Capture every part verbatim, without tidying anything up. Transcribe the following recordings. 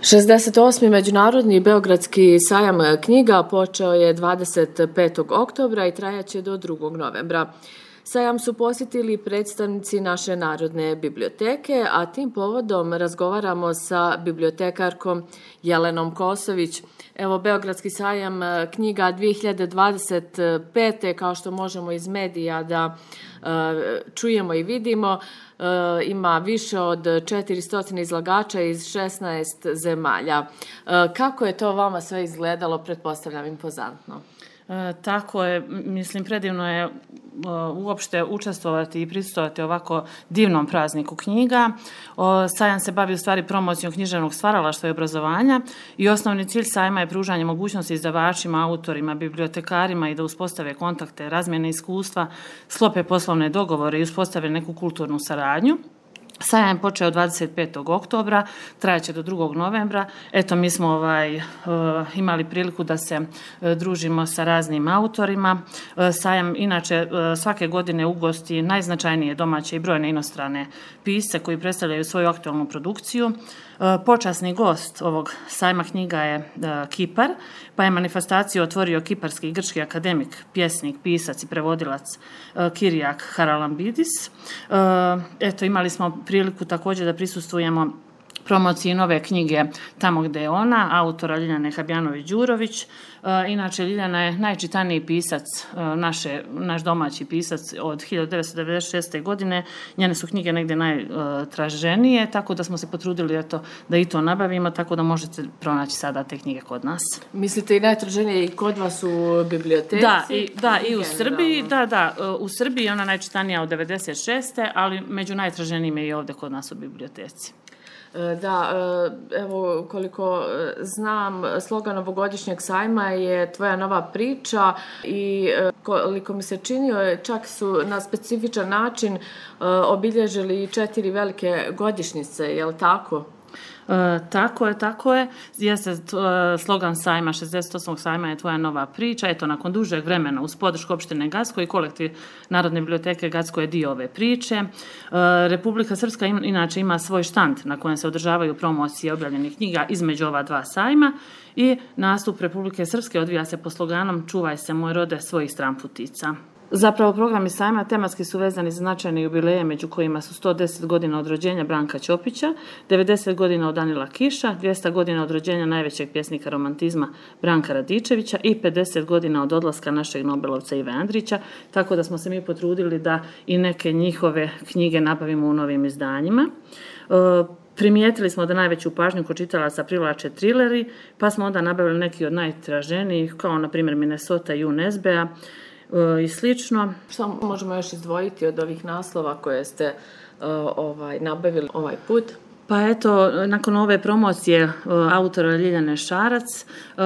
šezdeset osmi. Međunarodni beogradski sajam knjiga počeo je dvadeset petog oktobra i trajaće do drugog novembra. Sajam su posjetili predstavnici naše Narodne biblioteke, a tim povodom razgovaramo sa bibliotekarkom Jelenom Kosović. Evo, Beogradski sajam knjiga dvije hiljade dvadeset pete. kao što možemo iz medija da uh, čujemo i vidimo, uh, ima više od četiristo izlagača iz šesnaest zemalja. Uh, kako je to vama sve izgledalo, pretpostavljam impozantno? E, tako je, mislim, predivno je e, uopšte učestvovati i prisustvovati ovako divnom prazniku knjiga. O, sajam se bavi u stvari promocijom književnog stvaralaštva i obrazovanja i osnovni cilj sajma je pružanje mogućnosti izdavačima, autorima, bibliotekarima i da uspostave kontakte, razmjene iskustva, sklope poslovne dogovore i uspostave neku kulturnu saradnju. Sajam je počeo dvadeset petog oktobra, trajaće do drugog novembra. Eto, mi smo ovaj, uh, imali priliku da se uh, družimo sa raznim autorima. Uh, sajam inače uh, svake godine ugosti najznačajnije domaće i brojne inostrane pisce koji predstavljaju svoju aktualnu produkciju. Uh, počasni gost ovog sajma knjiga je uh, Kipar, pa je manifestaciju otvorio kiparski i grčki akademik, pjesnik, pisac i prevodilac uh, Kirijak Haralambidis. Uh, eto, imali smo priliku također da prisustvujemo promociji nove knjige Tamo gde je ona, autora Ljiljane Habjanović-Đurović. E, inače, Ljiljana je najčitaniji pisac, e, naše, naš domaći pisac od hiljadu devetsto devedeset šeste. godine. Njene su knjige negdje najtraženije, tako da smo se potrudili eto, da i to nabavimo, tako da možete pronaći sada te knjige kod nas. Mislite i najtraženije i kod vas u biblioteci? Da, i, da, i u Srbiji, da, da, u Srbiji je ona najčitanija od devedeset šeste. ali među najtraženijim je i ovdje kod nas u biblioteci. Da, evo koliko znam, slogan ovogodišnjeg sajma je Tvoja nova priča i koliko mi se činio, čak su na specifičan način obilježili četiri velike godišnjice, je li tako? E, tako je, tako je. Jeste slogan sajma, šezdeset osmog sajma je Tvoja nova priča. Eto, nakon dužeg vremena uz podršku opštine Gacko i kolektiv Narodne biblioteke Gacko je dio ove priče. E, Republika Srpska im, inače ima svoj štand na kojem se održavaju promocije objavljenih knjiga između ova dva sajma i nastup Republike Srpske odvija se po sloganom Čuvaj se moj rode svojih stramputica. Zapravo, programi sajma tematski su vezani za značajne jubileje, među kojima su sto deset godina od rođenja Branka Ćopića, devedeset godina od Danila Kiša, dvjesto godina od rođenja najvećeg pjesnika romantizma Branka Radičevića i pedeset godina od odlaska našeg Nobelovca Ive Andrića, tako da smo se mi potrudili da i neke njihove knjige nabavimo u novim izdanjima. E, Primijetili smo da najveću pažnju kod čitalaca privlače trileri, pa smo onda nabavili neki od najtraženijih, kao na primjer Minnesota i U N S B-a, i slično. Što možemo još izdvojiti od ovih naslova koje ste uh, ovaj, nabavili ovaj put? Pa eto, nakon ove promocije uh, autora Ljiljane Šarac, uh,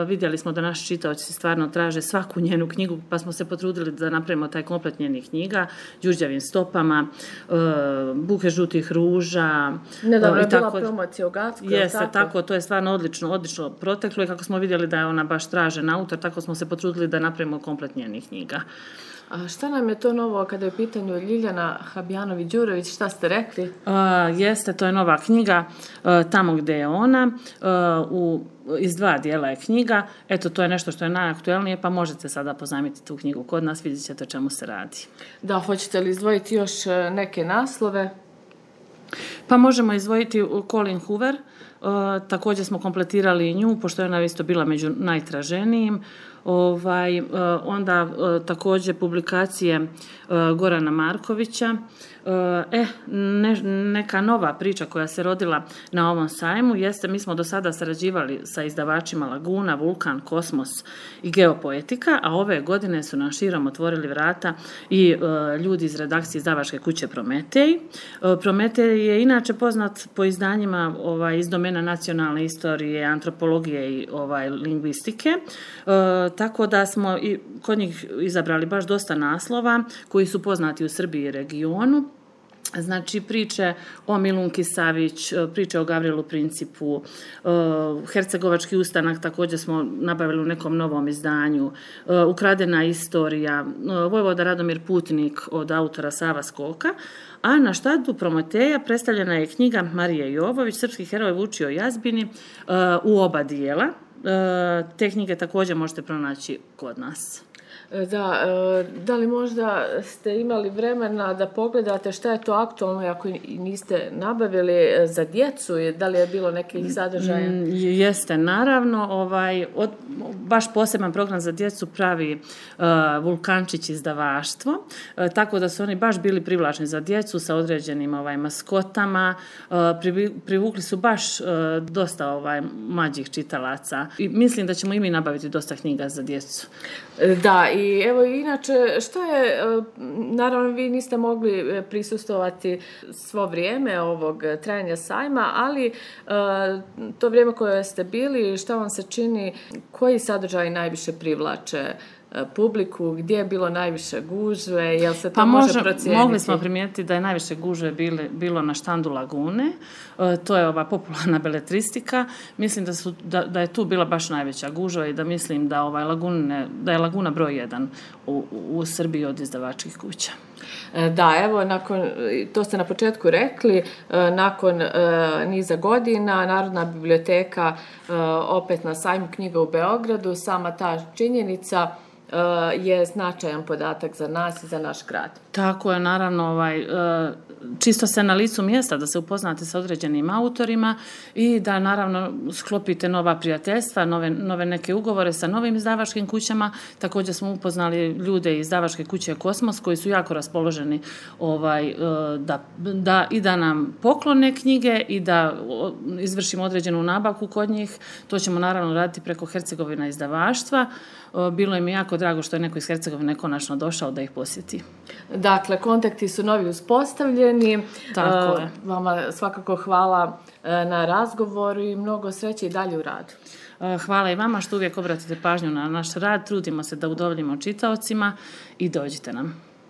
vidjeli smo da naši čitaoci stvarno traže svaku njenu knjigu, pa smo se potrudili da napravimo taj komplet njenih knjiga, Đurđevim stopama, uh, Buke žutih ruža. Nedavno je bila promocija u Gacku. Jeste, tako? tako, to je stvarno odlično, odlično proteklo i kako smo vidjeli da je ona baš tražen autor, tako smo se potrudili da napravimo komplet njenih knjiga. A šta nam je to novo kada je u pitanju Ljiljana Habjanović-Đurović, šta ste rekli? Uh, jeste, to je nova knjiga uh, Tamo gde je ona, uh, u, iz dva dijela je knjiga. Eto, to je nešto što je najaktuelnije, pa možete sada pozajmiti tu knjigu kod nas, vidjet ćete o čemu se radi. Da, hoćete li izdvojiti još neke naslove? Pa možemo izdvojiti Colin Hoover, uh, također smo kompletirali i nju, pošto je ona isto bila među najtraženijim. Ovaj, uh, onda uh, također publikacije uh, Gorana Markovića. Uh, e, ne, neka nova priča koja se rodila na ovom sajmu jeste, mi smo do sada sarađivali sa izdavačima Laguna, Vulkan, Kosmos i Geopoetika, a ove godine su nam širom otvorili vrata i uh, ljudi iz redakcije izdavačke kuće Prometej. Uh, Prometej je inače poznat po izdanjima ovaj, iz domena nacionalne istorije, antropologije i ovaj, lingvistike, uh, tako da smo i kod njih izabrali baš dosta naslova koji su poznati u Srbiji i regionu. Znači, priče o Milunki Savić, priče o Gavrilu Principu, Hercegovački ustanak također smo nabavili u nekom novom izdanju, Ukradena istorija, Vojvoda Radomir Putnik od autora Sava Skoka, a na štandu Prometeja predstavljena je knjiga Marije Jovović, Srpski heroj Vučio Jazbini, u oba dijela. Te knjige također možete pronaći kod nas. Da, da li možda ste imali vremena da pogledate šta je to aktualno ako niste nabavili za djecu, da li je bilo nekih sadržaja? Jeste, naravno, ovaj, od, baš poseban program za djecu pravi uh, Vulkančić izdavaštvo, uh, tako da su oni baš bili privlačni za djecu sa određenim ovaj, maskotama, uh, privukli su baš uh, dosta ovaj, mlađih čitalaca i mislim da ćemo i mi nabaviti dosta knjiga za djecu. Da, i evo inače, šta je, naravno vi niste mogli prisustvovati svo vrijeme ovog trajanja sajma, ali to vrijeme koje ste bili, šta vam se čini, koji sadržaj najviše privlače publiku, gdje je bilo najviše gužve, jel se to pa može može, procijeniti? Mogli smo primijetiti da je najviše gužve bili, bilo na štandu Lagune, e, to je ova popularna beletristika, mislim da, su, da, da je tu bila baš najveća gužva i da mislim da, ovaj Lagune, da je Laguna broj jedan u, u Srbiji od izdavačkih kuća. Da, evo, nakon, to ste na početku rekli, nakon niza godina Narodna biblioteka opet na sajmu knjiga u Beogradu, sama ta činjenica je značajan podatak za nas i za naš grad. Tako je, naravno, ovaj, čisto se na licu mjesta da se upoznate sa određenim autorima i da naravno sklopite nova prijateljstva, nove, nove neke ugovore sa novim izdavačkim kućama. Također smo upoznali ljude iz izdavačke kuće Kosmos koji su jako raspoloženi ovaj, da, da, i da nam poklone knjige i da izvršimo određenu nabavku kod njih. To ćemo naravno raditi preko Hercegovina izdavaštva. Bilo im je jako drago što je neko iz Hercegovine konačno došao da ih posjeti. Dakle, kontakti su novi uspostavljeni. Tako je. Vama svakako hvala na razgovoru i mnogo sreće i dalje u radu. Hvala i vama što uvijek obratite pažnju na naš rad. Trudimo se da udovoljimo čitaocima i dođite nam.